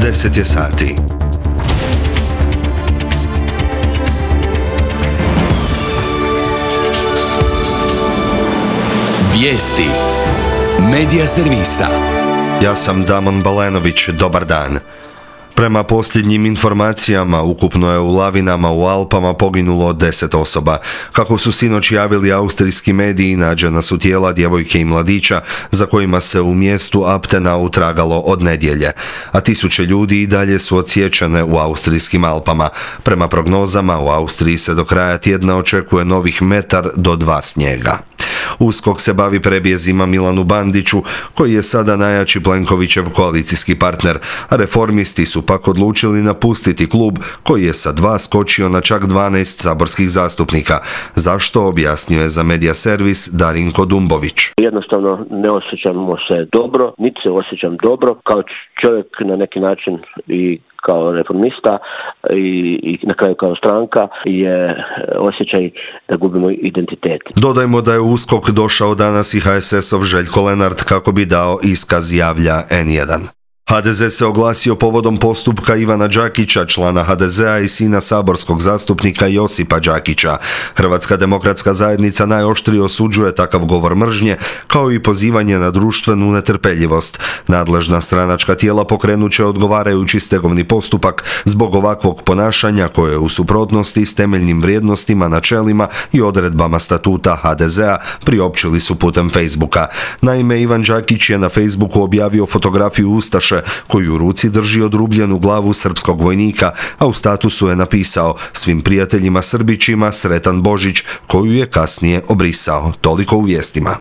10 je sati. Vijesti Medija servisa. Ja sam Damon Balenović, dobar dan. Prema posljednjim informacijama, ukupno je u lavinama u Alpama poginulo 10 osoba. Kako su sinoć javili austrijski mediji, nađena su tijela djevojke i mladića za kojima se u mjestu Abtenau tragalo od nedjelje, a tisuće ljudi i dalje su odsječene u austrijskim Alpama. Prema prognozama, u Austriji se do kraja tjedna očekuje novih 1 do 2 snijega. USKOK se bavi prebjezima Milanu Bandiću, koji je sada najjači Plenkovićev koalicijski partner, a reformisti su pak odlučili napustiti klub koji je sa 2 skočio na čak 12 saborskih zastupnika. Zašto, objasnio je za Medija servis Darinko Dumbović. Jednostavno ne osjećamo se dobro, niti se osjećam dobro kao čovjek na neki način i kao reformista i na kraju kao stranka je osjećaj da gubimo identitet. Dodajmo da je u USKOK došao danas i HSS-ov Željko Lenart kako bi dao iskaz, javlja N1. HDZ se oglasio povodom postupka Ivana Đakića, člana HDZ-a i sina saborskog zastupnika Josipa Đakića. Hrvatska demokratska zajednica najoštrije osuđuje takav govor mržnje, kao i pozivanje na društvenu netrpeljivost. Nadležna stranačka tijela pokrenut će odgovarajući stegovni postupak zbog ovakvog ponašanja koje je u suprotnosti s temeljnim vrijednostima, načelima i odredbama statuta HDZ-a, priopćili su putem Facebooka. Naime, Ivan Đakić je na Facebooku objavio fotografiju ustaše koju u ruci drži odrubljenu glavu srpskog vojnika, a u statusu je napisao: svim prijateljima Srbićima sretan Božić, koju je kasnije obrisao. Toliko u vijestima.